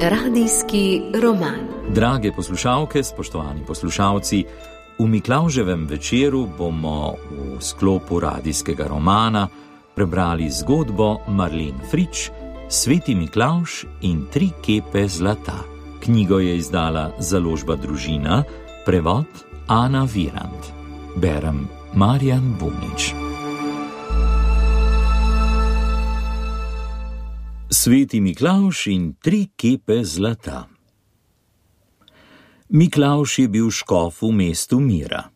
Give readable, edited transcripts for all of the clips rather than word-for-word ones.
Radijski roman. Drage poslušalke, spoštovani poslušalci, v Miklavževem večeru bomo v sklopu radijskega romana prebrali zgodbo Marlene Frič Sveti Miklavž in 3 kepe zlata. Knjigo je izdala založba Družina, prevod Ana Virant. Berem Marjan Bunič. Sveti Miklavž in 3 kepe zlata. Miklavž je bil škof v mestu Mira,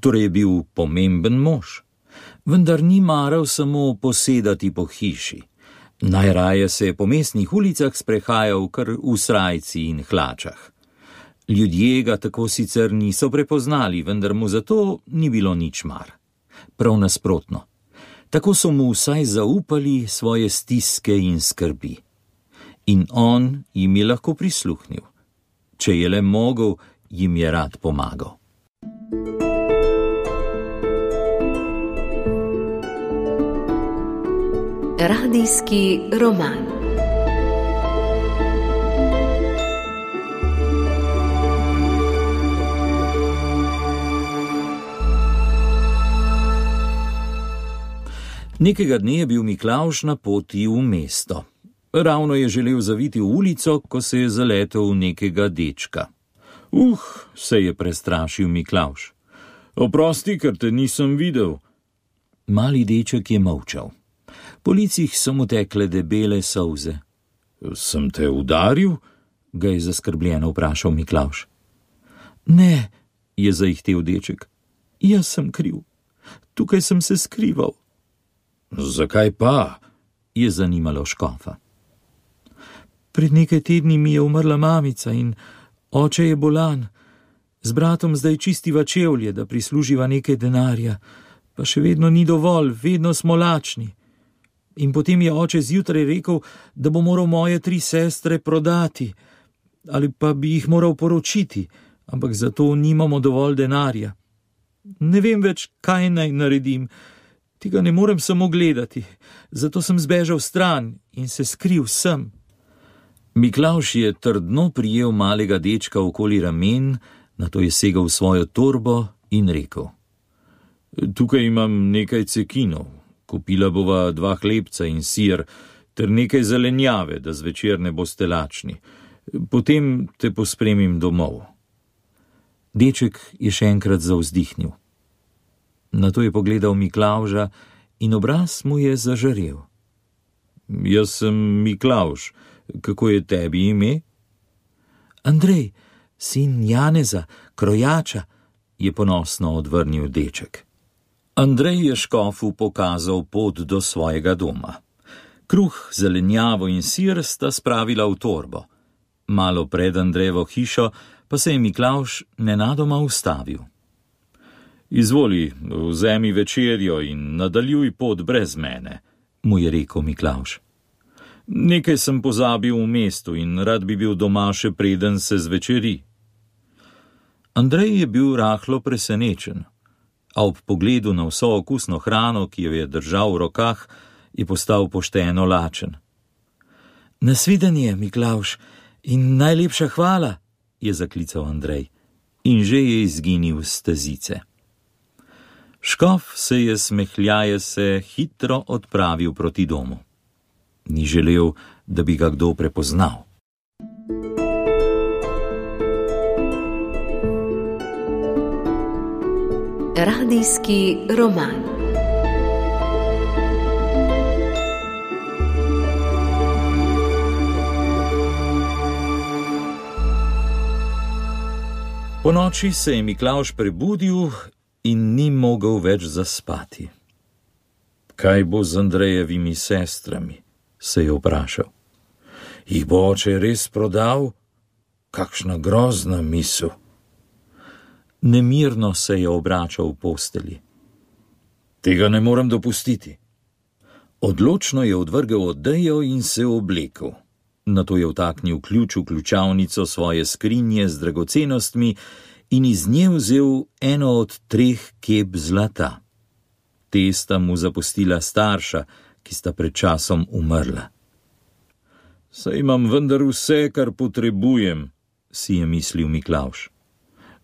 torej je bil pomemben mož, vendar ni maral samo posedati po hiši. Najraje se je po mestnih ulicah sprehajal kar v srajci in hlačah. Ljudje ga tako sicer niso prepoznali, vendar mu zato ni bilo nič mar. Prav nasprotno. Tako so mu vsaj zaupali svoje stiske in skrbi. In on jim je lahko prisluhnil. Če je le mogel, jim je rad pomagal. Radijski roman. Nekega dne je bil Miklavž na poti v mesto. Ravno je želel zaviti v ulico, ko se je zaletel v nekega dečka. Se je prestrašil Miklavž. Oprosti, ker te nisem videl. Mali deček je molčal. Po licih so mu tekle debele solze. Sem te udaril? Ga je zaskrbljeno vprašal Miklavž. Ne, je zaihtel deček. Jaz sem kriv. Tukaj sem se skrival. Zakaj pa? Je zanimalo škofa. Pred nekaj tedni mi je umrla mamica in oče je bolan. Z bratom zdaj čistiva čevlje, da prisluživa nekaj denarja, pa še vedno ni dovolj, vedno smo lačni. In potem je oče zjutraj rekel, da bo moral moje 3 sestre prodati, ali pa bi jih moral poročiti, ampak zato nimamo dovolj denarja. Ne vem več, kaj naj naredim. Tega ne morem samo gledati, zato sem zbežal stran in se skril sem. Miklavž je trdno prijel malega dečka okoli ramen, nato je segel v svojo torbo in rekel: Tukaj imam nekaj cekinov, kupila bova 2 hlebca in sir, ter nekaj zelenjave, da zvečer ne boste lačni. Potem te pospremim domov. Deček je še enkrat zavzdihnil. Nato je pogledal Miklavža in obraz mu je zažarel. Jaz sem Miklavž, kako je tebi ime? Andrej, sin Janeza, krojača, je ponosno odvrnil deček. Andrej je škofu pokazal pot do svojega doma. Kruh, zelenjavo in sir sta spravila v torbo. Malo pred Andrejevo hišo pa se je Miklavž nenadoma ustavil. Izvoli, vzemi večerjo in nadaljuj pot brez mene, mu je rekel Miklavž. Nekaj sem pozabil v mestu in rad bi bil doma še preden se zvečeri. Andrej je bil rahlo presenečen, a ob pogledu na vso okusno hrano, ki jo je držal v rokah, je postal pošteno lačen. Nasvidenje, Miklavž, in najlepša hvala, je zaklical Andrej in že je izginil s stezice. Škof se je smehljaje se hitro odpravil proti domu. Ni želel, da bi ga kdo prepoznal. Radijski roman. Ponoči se je Miklavž prebudil in ni mogel več zaspati. Kaj bo z Andrejevimi sestrami? Se je vprašal. Jih bo oče res prodal? Kakšna grozna misel. Nemirno se je obračal v postelji. Tega ne morem dopustiti. Odločno je odvrgel odejo in se oblekel. Nato je vtaknil ključ v ključavnico svoje skrinje z dragocenostmi in iz nje vzel eno od 3 kep zlata. Te sta mu zapustila starša, ki sta pred časom umrla. Saj imam vendar vse, kar potrebujem, si je mislil Miklavž.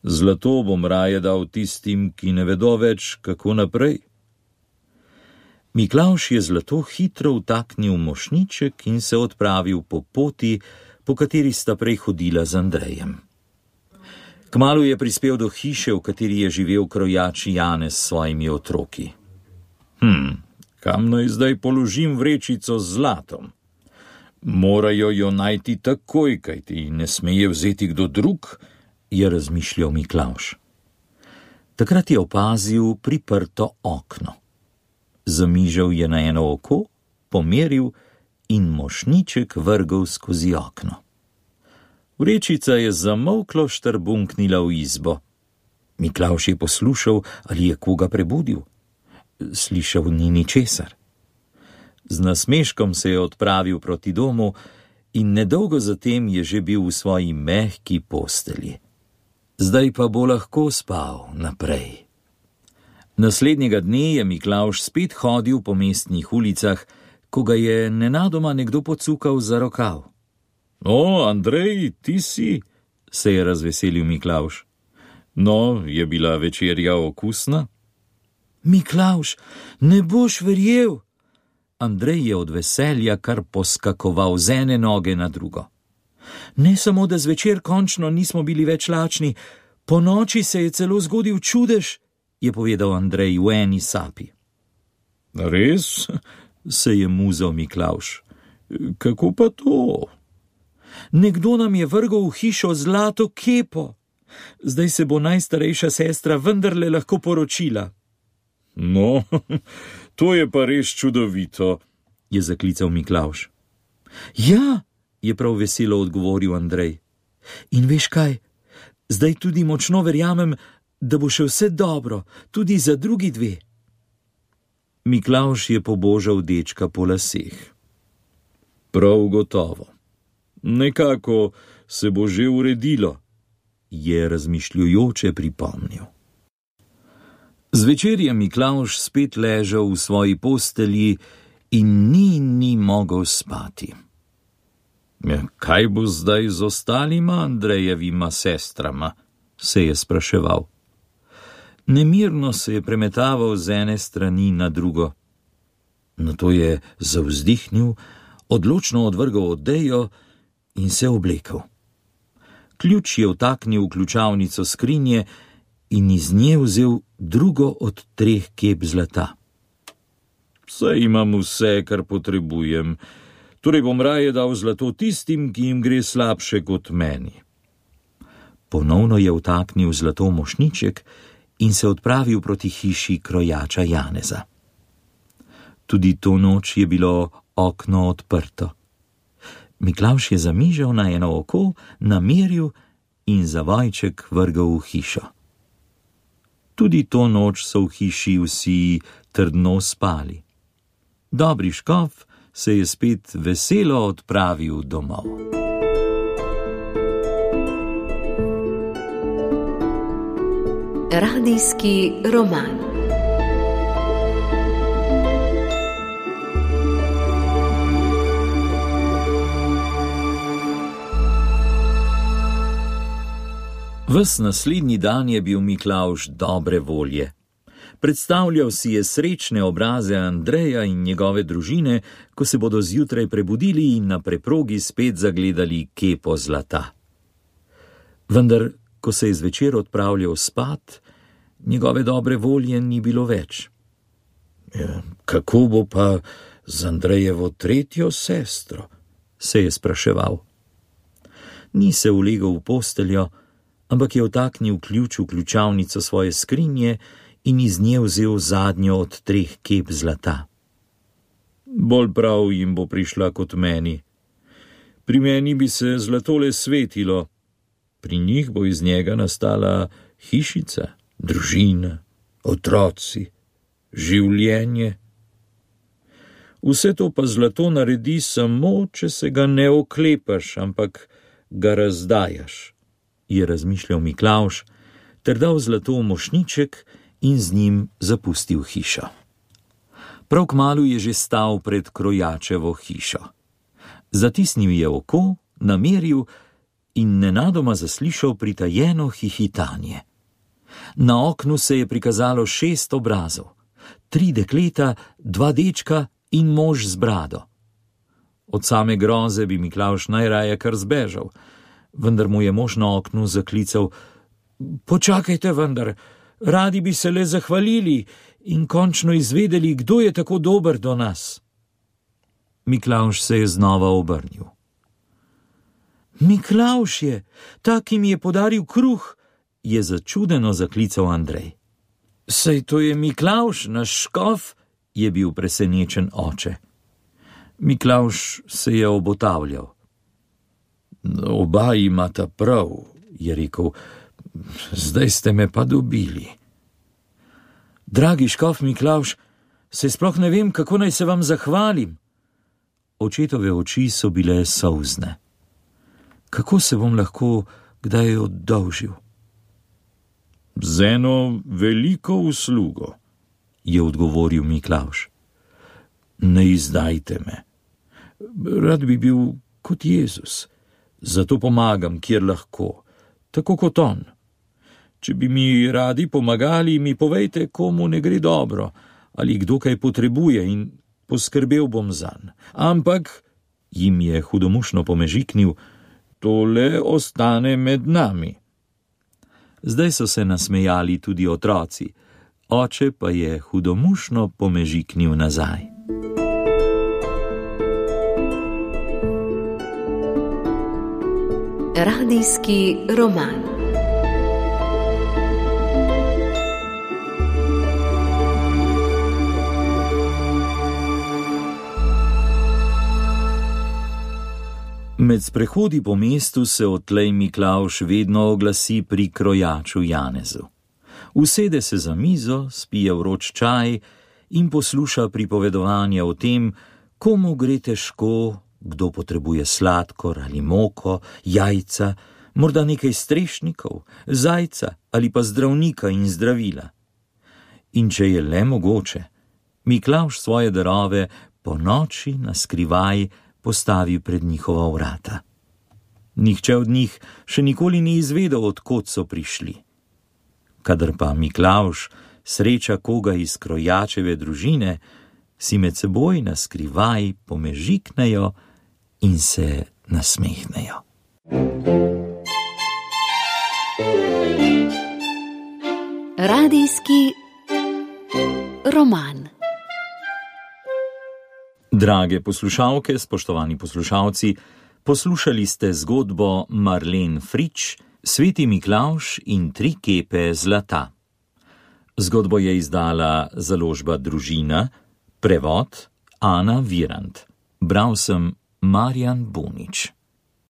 Zlato bom raje dal tistim, ki ne vedo več, kako naprej. Miklavž je zlato hitro vtaknil v mošnjiček in se odpravil po poti, po kateri sta prej hodila z Andrejem. Kmalu je prispel do hiše, v kateri je živel krojač Janez s svojimi otroki. Kam naj zdaj položim vrečico z zlatom? Morajo jo najti takoj, kajti ne sme je vzeti kdo drug, je razmišljal Miklavž. Takrat je opazil priprto okno. Zamižal je na eno oko, pomeril in mošnjiček vrgel skozi okno. Vrečica je zamolklo štrbunknila v izbo. Miklavž je poslušal, ali je koga prebudil. Slišal ni ničesar. Z nasmeškom se je odpravil proti domu in nedolgo zatem je že bil v svoji mehki postelji. Zdaj pa bo lahko spal naprej. Naslednjega dne je Miklavž spet hodil po mestnih ulicah, ko ga je nenadoma nekdo pocukal za rokav. O, Andrej, ti si, se je razveselil Miklavž. No, je bila večerja okusna? Miklavž, ne boš verjel. Andrej je od veselja kar poskakoval z ene noge na drugo. Ne samo, da zvečer končno nismo bili več lačni, po noči se je celo zgodil čudež, je povedal Andrej v eni sapi. Res? Se je muzal Miklavž. Kako pa to? Nekdo nam je vrgel v hišo zlato kepo. Zdaj se bo najstarejša sestra vendarle lahko poročila. No, to je pa res čudovito, je zaklical Miklavž. Ja, je prav veselo odgovoril Andrej. In veš kaj, zdaj tudi močno verjamem, da bo še vse dobro, tudi za drugi dve. Miklavž je pobožal dečka po laseh. Prav gotovo. Nekako se bo že uredilo, je razmišljujoče pripomnil. Zvečer je Miklavž spet ležal v svoji postelji in ni mogel spati. Kaj bo zdaj z ostalima Andrejevima sestrama, se je spraševal. Nemirno se je premetaval z ene strani na drugo. Nato je zavzdihnil, odločno odvrgel odejo in se oblekel. Ključ je vtaknil v ključavnico skrinje in iz nje vzel drugo od 3 kep zlata. Saj imam vse, kar potrebujem, torej bom raje dal zlato tistim, ki jim gre slabše kot meni. Ponovno je vtaknil zlato v mošnjiček in se odpravil proti hiši krojača Janeza. Tudi to noč je bilo okno odprto. Miklavž je zamižal na eno oko, nameril in zavojček vrgel v hišo. Tudi to noč so v hiši vsi trdno spali. Dobri škof se je spet veselo odpravil domov. Radijski roman. Ves naslednji dan je bil Miklavž dobre volje. Predstavljal si je srečne obraze Andreja in njegove družine, ko se bodo zjutraj prebudili in na preprogi spet zagledali kepo zlata. Vendar, ko se je zvečer odpravljal spat, njegove dobre volje ni bilo več. Kako bo pa z Andrejevo 3. sestro, se je spraševal. Ni se ulegel v posteljo, ampak je vtaknil ključ v ključavnico svoje skrinje in iz nje vzel zadnjo od 3 kep zlata. Bolj prav jim bo prišla kot meni. Pri meni bi se zlato le svetilo, pri njih bo iz njega nastala hišica, družina, otroci, življenje. Vse to pa zlato naredi samo, če se ga ne oklepaš, ampak ga razdajaš, je razmišljal Miklavž, ter dal zlato v mošnjiček in z njim zapustil hišo. Prav kmalu je že stal pred krojačevo hišo. Zatisnil je oko, nameril in nenadoma zaslišal pritajeno hihitanje. Na oknu se je prikazalo 6 obrazov, 3 dekleta, 2 dečka in mož z brado. Od same groze bi Miklavž najraje kar zbežal, vendar mu je mož na oknu zaklical: počakajte vendar, radi bi se le zahvalili in končno izvedeli, kdo je tako dober do nas. Miklavž se je znova obrnil. Miklavž je, ta, ki mi je podaril kruh, je začudeno zaklical Andrej. Saj to je Miklavž, naš škof, je bil presenečen oče. Miklavž se je obotavljal. Oba imata prav, je rekel, zdaj ste me pa dobili. Dragi škof Miklavž, se sploh ne vem, kako naj se vam zahvalim. Očetove oči so bile solzne. Kako se bom lahko kdaj oddolžil? Z eno veliko uslugo, je odgovoril Miklavž. Ne izdajte me. Rad bi bil kot Jezus, zato pomagam, kjer lahko, tako kot on. Če bi mi radi pomagali, mi povejte, komu ne gre dobro, ali kdo kaj potrebuje in poskrbel bom zanj. Ampak, jim je hudomušno pomežiknil, tole ostane med nami. Zdaj so se nasmejali tudi otroci, oče pa je hudomušno pomežiknil nazaj. Radijski roman. Med sprehodi po mestu se odtlej Miklavž vedno oglasi pri krojaču Janezu. Usede se za mizo, spije vroč čaj in posluša pripovedovanja o tem, komu gre težko, kdo potrebuje sladkor ali moko, jajca, morda nekaj strešnikov, zajca ali pa zdravnika in zdravila. In če je le mogoče, Miklavž svoje darove po noči na skrivaj postavi pred njihova vrata. Nihče od njih še nikoli ni izvedel, od kod so prišli. Kadar pa Miklavž sreča koga iz krojačeve družine, si med seboj na skrivaj pomežiknejo in se nasmehnejo. Radijski roman. Drage poslušalke, spoštovani poslušalci, poslušali ste zgodbo Marlen Frič, Sveti Miklavž in 3 kepe zlata. Zgodbo je izdala založba Družina, prevod Ana Virant. Bral sem Marjan Bunič.